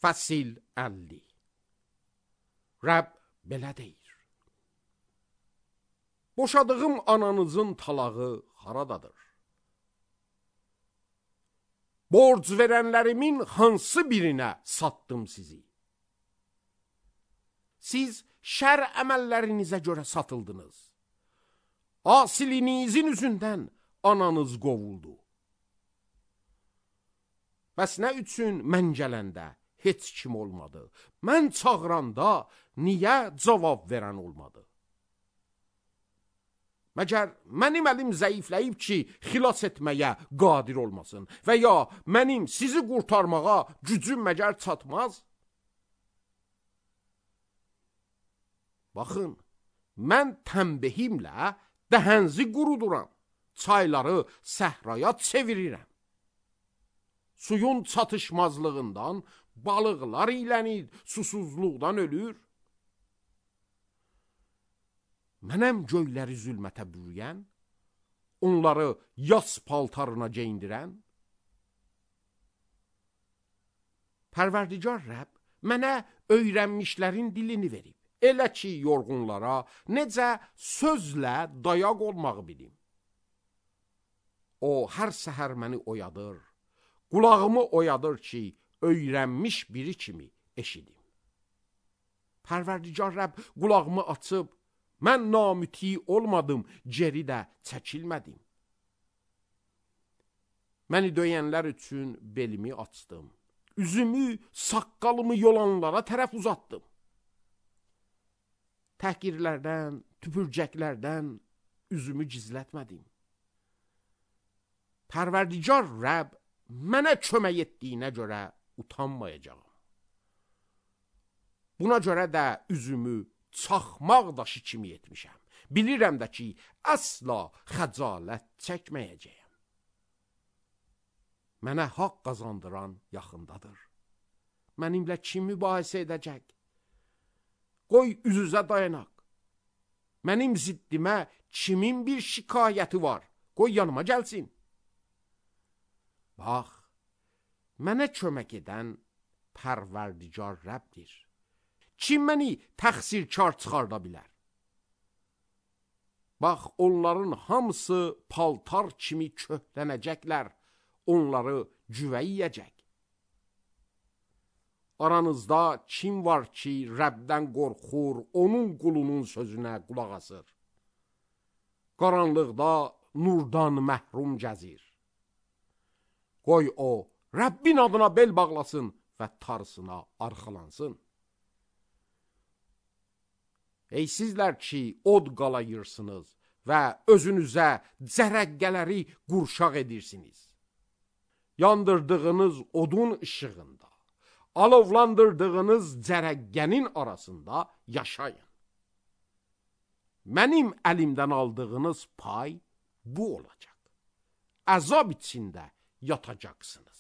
Fəsil 50. Rəbb belə deyir: boşadığım ananızın talağı haradadır? Borc verənlərimin hansı birinə satdım sizi? Siz şər əməllərinizə görə satıldınız. Asilinizin üzündən ananız qovuldu. Bəs nə üçün mən gələndə heç kim olmadı? Mən çağıranda niyə cavab verən olmadı? Məgər mənim əlim zəifləyib ki, xilas etməyə qadir olmasın və ya mənim sizi qurtarmağa gücüm məgər çatmaz? Baxın, mən təmbehimlə dəhənzi quruduram, çayları səhraya çevirirəm. Suyun çatışmazlığından balıqlar iylənir, susuzluqdan ölür. Mənəm göyləri zülmətə bürüyən, onları yas paltarına geyindirən. Pərverdigar Rəbb mənə öyrənmişlərin dilini verib. Elə ki, yorğunlara necə sözlə dayaq olmağı bilim. O, hər səhər məni oyadır, qulağımı oyadır ki, öyrənmiş biri kimi eşidim. Pərverdigar Rəbb qulağımı açıb, mən namüti olmadım, geri də çəkilmədim. Məni döyənlər üçün belimi açdım, üzümü, saqqalımı yolanlara tərəf uzatdım. Təhqirlərdən, tüpürcəklərdən üzümü gizlətmədim. Pərverdigar Rəbb mənə kömək etdiyinə görə utanmayacağım. Buna görə də üzümü çaxmaq daşı kimi etmişəm. Bilirəm də ki, əsla xəcalət çəkməyəcəyəm. Mənə haqq qazandıran yaxındadır. Mənimlə kim mübahisə edəcək? Qoy üz-üzə dayanaq. Mənim ziddimə kimin bir şikayəti var? Qoy yanıma gəlsin. Bax, mənə kömək edən Pərverdigar Rəbbdir. Kim məni təqsirkar çıxarda bilər? Bax, onların hamısı paltar kimi köhlənəcəklər, onları güvə yiyəcək. Aranızda kim var ki, Rəbdən qorxur, onun qulunun sözünə qulaq asır? Qaranlıqda nurdan məhrum gəzir. Qoy o, Rəbbin adına bel bağlasın və tarısına arxalansın. Ey sizlər ki, od qalayırsınız və özünüzə cərəqqələri qurşaq edirsiniz. Yandırdığınız odun işığında, alovlandırdığınız cərəqqənin arasında yaşayın. Mənim əlimdən aldığınız pay bu olacaq. Əzab içində yatacaqsınız.